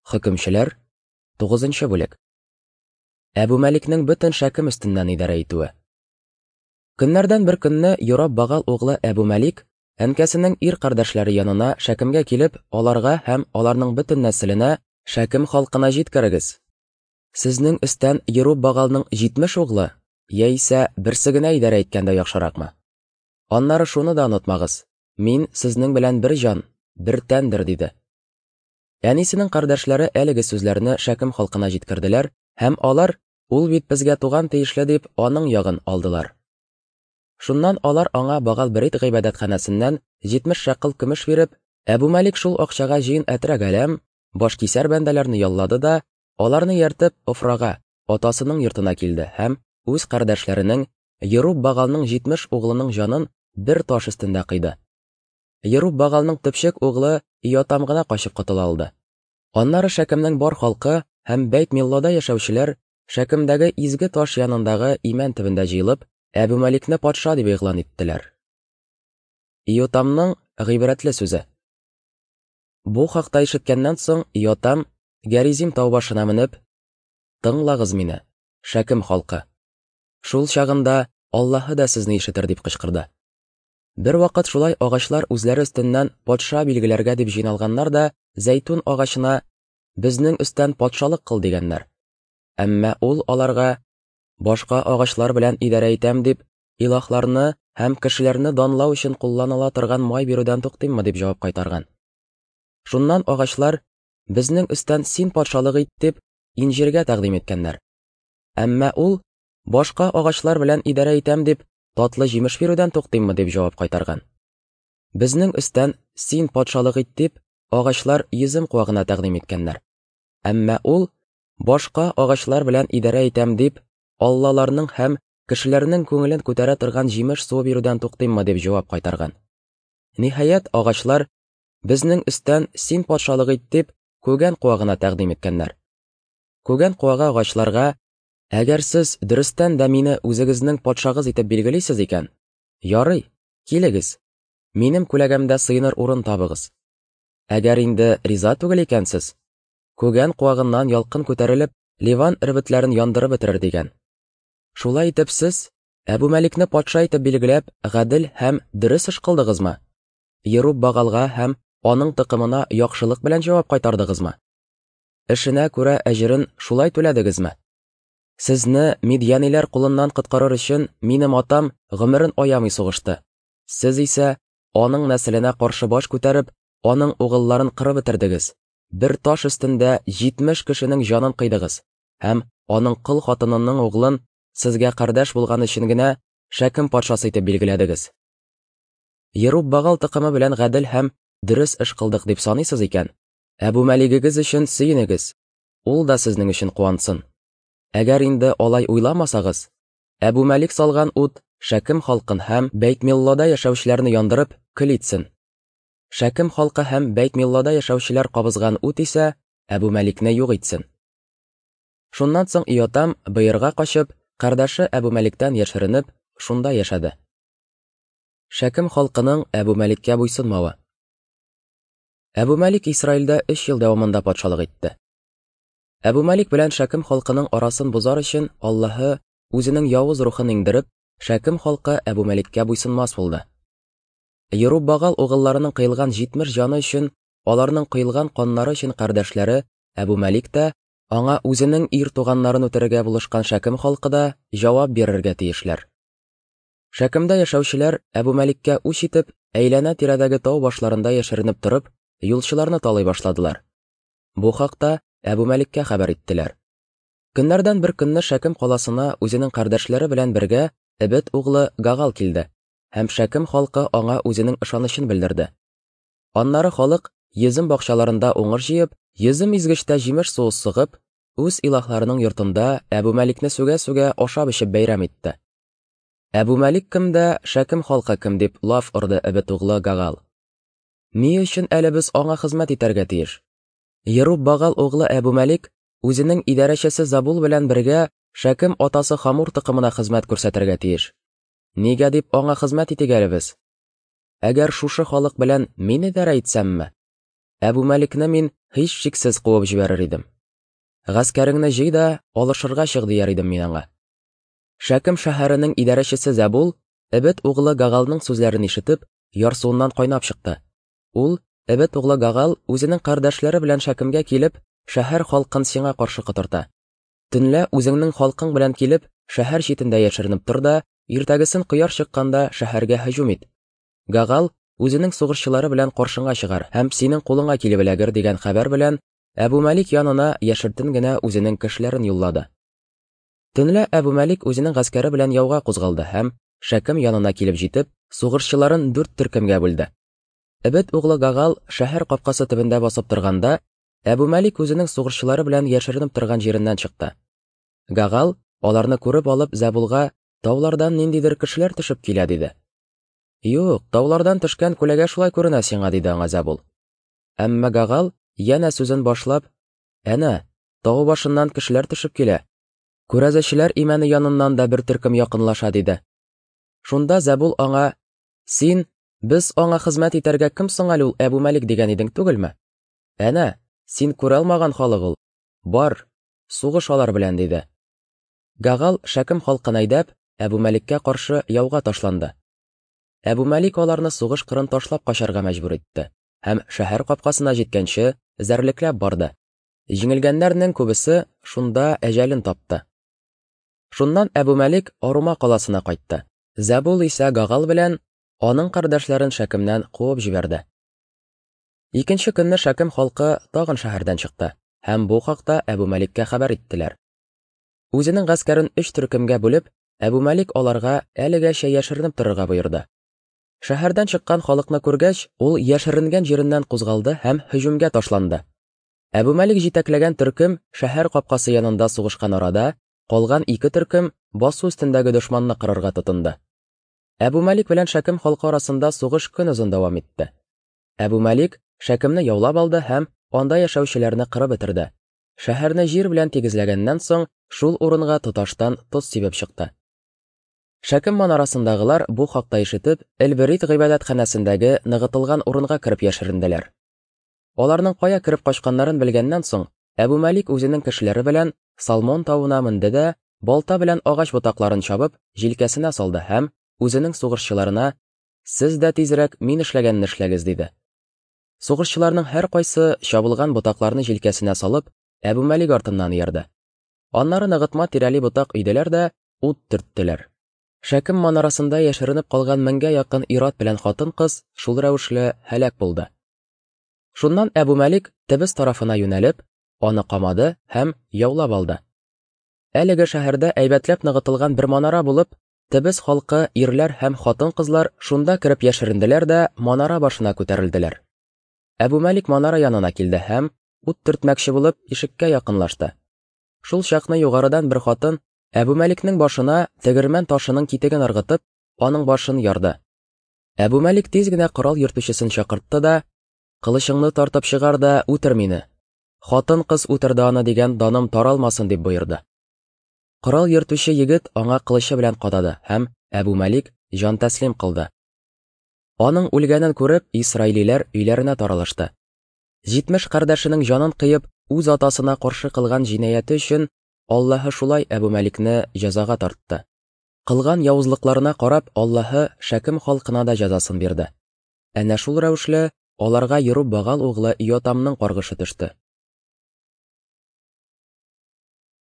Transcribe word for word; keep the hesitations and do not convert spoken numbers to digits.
Хөкемчеләр, тугызынчы бүлек. Әбу Мәликнең бөтен Шәкем өстеннән идарә итүе. Көннәрдән бер көнне Йораб Багал углы Әбу Мәлик әнкәсенең ир кардәшләре янына Шәкемгә килеп, аларга һәм аларның бөтен нәселенә Шәкем халкына җиткерегез. Сезнең өстән Йораб Багалның җитмеш углы, яисә берсе генә идарә иткәндә яхшыракмы? Аннары шуны да онытмагыз: мин сезнең белән бер җан, бер тәндер, диде. Әнисенең кардәшләре әлеге сүзләрне Шәкем халкына җиткерделәр һәм алар, ул бит безгә туган тиешле дип, аның ягын алдылар. Шуннан алар аңа Багал Берит гыйбадәтханәсеннән җитмеш шәкыл көмеш биреп, Әбу Мәлик шул акчага җыен әтрәк әләм, башкисәр бәндәләрне яллады да, аларны ияртеп Офрага, атасының йортына килде һәм үз кардәшләренең Йоруб Багалның җитмеш углының җанын бер таш өстендә кыйды. Йоруб Багалның төпчек углы Иотам гына качып котыла алды. Аннары Шәкемнең бар халкы һәм Бәйт Миллода яшәүчеләр Шәкемдәге изге таш янындагы имән төбендә җыелып, Әбу Мәликне патша дип игълан иттеләр. Иотамның гыйбрәтле сүзе. Бу хакта ишеткәннән соң Иотам Гәризим тау башына менеп, "Тыңлагыз мине, Шәкем халкы. Шул чагында Аллаһы да сезне ишетер", дип кычкырды. Бер вакыт шулай агачлар үзләре өстеннән патша билгеләргә дип җыйналганнар да, зәйтүн агачына "Безнең өстән патшалык кыл" дигәннәр. Әмма ул аларга "Башка агачлар белән идарә итәм дип, илаһларны һәм кешеләрне данлау өчен кулланыла торган май бирүдән туктыйммы?" дип җавап кайтарган. Шуннан агачлар "Безнең өстән син патшалык ит" дип инҗиргә тәкъдим иткәннәр. Әмма ул "Башка агачлар белән идарә итәм дип, татлы җимеш бирүдән туктыйммы?" дип җавап кайтарган. "Безнең өстән син патшалык ит" дип, агачлар йөзем куагына тәкъдим иткәннәр. Әмма ул "Башка агачлар белән идарә итәм дип, аллаларның һәм кешеләрнең күңелен күтәрә торган җимеш суы бирүдән туктыйммы?" дип җавап кайтарган. Ниһаять, агачлар "Безнең өстән син патшалык ит" дип, күгән куагына тәкъдим иткәннәр. Күгән куагы агачларга "Әгәр сез дөрестән дә мине үзегезнең патшагыз итеп билгелисез икән, ярый, килегез, минем күләгәмдә сыеныр урын табыгыз. Әгәр инде риза түгел икәнсез, күгән куагыннан ялкын күтәрелеп, Ливан эрбетләрен яндырып бетерер", дигән. Шулай итеп сез Әбу Мәликне патша итеп билгеләп, гадел һәм дөрес эш кылдыгызмы? Йоруб Багалга һәм аның токымына яхшылык белән җавап кайтардыгызмы? Эшенә күрә әҗерен шулай түләдегезме? Сезне мидьяниләр кулыннан коткарыр өчен минем атам гомерен аямый сугышты. Сез исә аның нәселенә каршы баш күтәреп, аның угылларын кырып бетердегез. Бер таш өстендә җитмеш кешенең җанын кыйдыгыз һәм аның кол хатынының углын сезгә кардәш булган өчен генә Шәкем патшасы итеп билгеләдегез. Йоруб Багал токымы белән гадел һәм дөрес эш кылдык дип саныйсыз икән, Әбу Мәлигегез өчен сөенегез, ул да сезнең өчен куансын. Әгәр инде алай уйламасагыз, Әбу Мәлик салган ут Шәкем халкын һәм Бәйт Миллода яшәүчеләрне яндырып көл итсен. Шәкем халкы һәм Бәйт Миллода яшәүчеләр кабызган ут исә Әбу Мәликне юк итсен. Шуннан соң Иотам Быерга качып, кардәше Әбу Мәликтән яшеренеп, шунда яшәде. Шәкем халкының Әбу Мәликкә буйсынмавы. Әбу Мәлик Исраилдә өч ел дәвамында патшалык итте. Әбу Мәлик белән Шәкем халкының арасын бозар өчен Аллаһы үзенең явыз рухын иңдереп, Шәкем халкы Әбу Мәликкә буйсынмас булды. Йоруб Багал угылларының кыйлган җитмеш җаны өчен, аларның кыйлган каннары өчен кардәшләре Әбу Мәлик тә, аңа үзенең ир туганнарын үтерергә булышкан Шәкем халкы да җавап бирергә тиешләр. Шәкемдә яшәүчеләр Әбу Мәликкә үч итеп, әйләнә-тирәдәге тау башларында яшеренеп торып, юлчыларны талый башладылар. Бу хакта Әбу Мәликкә хәбәр иттеләр. Көннәрдән бер көнне Шәкем каласына үзенең кардәшләре белән бергә Эбет углы Гагал килде һәм Шәкем халкы аңа үзенең ышанычын белдерде. Аннары халык йөзем бакчаларында уңыш җыеп, йөзем изгечтә җимеш суы сыгып, үз илаһларының йортында Әбу Мәликне сүгә-сүгә ашап-эчеп бәйрәм итте. Әбу Мәлик кем дә, Шәкем халкы кем дип лаф орды Эбет углы Гагал. Ни өчен әле без аңа хезмәт итәргә тиеш? Йоруб Багал углы Әбу Мәлик үзенең идарәчесе Забул белән бергә Шәкем атасы Хамур токымына хезмәт күрсәтергә тиеш. Нигә дип аңа хезмәт итик әле без? Әгәр шушы халык белән мин идарә итсәмме? Әбу Мәликне мин һичшиксез куып җибәрер идем. Гаскәреңне җый да, алышырга чык дияр идем мин аңа. Шәкем шәһәренең идарәчесе Зәбул, Эбет углы Гагалның сүзләрен ишетеп, ярсуыннан кайнап чыкты. Ул, Эбет углы Гагал, үзенең кардәшләре белән Шәкемгә килеп, шәһәр халкын сиңа каршы котырта. Төнлә үзеңнең халкың белән килеп, шәһәр читендә яшеренеп тор да, иртәгесен кояш чыкканда шәһәргә һөҗүм ит. Гагал үзенең сугышчылары белән каршыңа чыгар һәм синең кулыңа килеп эләгер дигән хәбәр белән Әбу Мәлик янына яшертен генә үзенең кешеләрен юллады. Төнлә Әбу Мәлик үзенең гаскәре белән яуга кузгалды һәм Шәкем янына килеп җитеп, сугышчыларын дүрт төркемгә бүлде. Эбет углы Гагал шәһәр капкасы төбендә басып торганда, Әбу Мәлик үзенең сугышчылары белән яшеренеп торган җиреннән чыкты. Гагал, аларны күреп алып, Зәбулга: "Таулардан ниндидер кешеләр төшеп килә", диде. "Юк, таулардан төшкән күләгә шулай күренә сиңа", диде аңа Зәбул. Әмма Гагал янә сүзен башлап: "Әнә, тау башыннан кешеләр төшеп килә. Күрәзәчеләр имәне яныннан да бер төркем якынлаша", диде. Шунда Зәбул аңа: "Син, без аңа хезмәт итәргә кем соң әле ул Әбу Мәлик дигән идең түгелме? Әнә, син күрә алмаган халык ул. Бар, сугыш алар белән", диде. Гагал Шәкем халкын әйдәп, Әбу Мәликкә каршы яуга ташланды. Әбу Мәлик аларны сугыш кырын ташлап качарга мәҗбүр итте һәм шәһәр капкасына җиткәнче зәрлекләп барды. Җиңелгәннәрнең күбесе шунда әҗәлен тапты. Шуннан Әбу Мәлик Арума каласына кайтты. Зәбул исә Гагал белән аның кардәшләрен Шәкемнән куып җибәрде. Икенче көнне Шәкем халкы тагын шәһәрдән чыкты һәм бу хакта Әбу Мәликкә хәбәр иттеләр. Үзенең гаскәрен өч төркемгә бүлеп, Әбу Мәлик аларга әлегәчә яшеренеп торырга боерды. Шәһәрдән чыккан халыкны күргәч, ул яшеренгән җиреннән кузгалды һәм һөҗүмгә ташланды. Әбу Мәлик җитәкләгән төркем шәһәр капкасы янында сугышкан арада, калган ике төркем басу өстендәге дошманны кырырга тотынды. Әбу Мәлик белән Шәкем халкы арасында сугыш көн озын дәвам итте. Әбу Мәлик Шәкемне яулап алды һәм анда яшәүчеләрне кырып бетерде. Шәһәрне җир белән тигезләгәннән соң, шул урынга тоташтан тоз сибеп чыкты. Шәкем манарасындагылар бу хакта ишетеп, Элберит гыйбадәтханәсендәге ныгытылган урынга кереп яшеренделәр. Аларның кая кереп качканнарын белгәннән соң, Әбу Мәлик үзенең кешеләре белән Салмон тавына менде дә, балта белән агач ботакларын чабып, җилкәсенә салды һәм үзенең сугышчыларына: "Сез дә тизрәк мин эшләгәнне эшләгез", диде. Сугышчыларның һәркайсы чабылган ботакларны җилкәсенә салып, Әбу Мәлик артыннан иярде. Аннары ныгытма тирәли ботак өйделәр дә ут төрттеләр. Шәкем манарасында яшеренеп калган меңгә якын ир-ат белән хатын-кыз шул рәвешле һәлак булды. Шуннан Әбу Мәлик Тебес тарафына юнәлеп, аны камады һәм яулап алды. Әлеге шәһәрдә әйбәтләп ныгытылган бер манара булып, Тебес халкы ирләр һәм хатын-кызлар шунда кереп яшеренделәр дә манара башына күтәрелделәр. Әбу Мәлик манара янына килде һәм ут төртмәкче булып ишеккә якынлашты. Шул чакны югарыдан бер хатын Әбу Мәликнең башына тегермән ташының китеген ыргытып, аның башын ярды. Әбу Мәлик тиз генә корал йөртүчесен чакыртты да: "Кылычыңны тартып чыгар да үтер мине. Хатын-кыз үтерде аны дигән даным таралмасын", дип боерды. Корал йөртүче егет аңа кылычы белән кадады һәм Әбу Мәлик җан тәслим кылды. Аның үлгәнен күреп, исраилиләр өйләренә таралышты. Җитмеш кардәшенең җанын кыеп, үз атасына каршы кылган җинаяте өчен Аллаһы шулай Әбу Мәликне җәзага тартты. Кылган явызлыкларына карап, Аллаһы Шәкем халкына да җәзасын бирде. Әнә шул рәвешле аларга Йеруббағал углы Йотамның каргышы төште.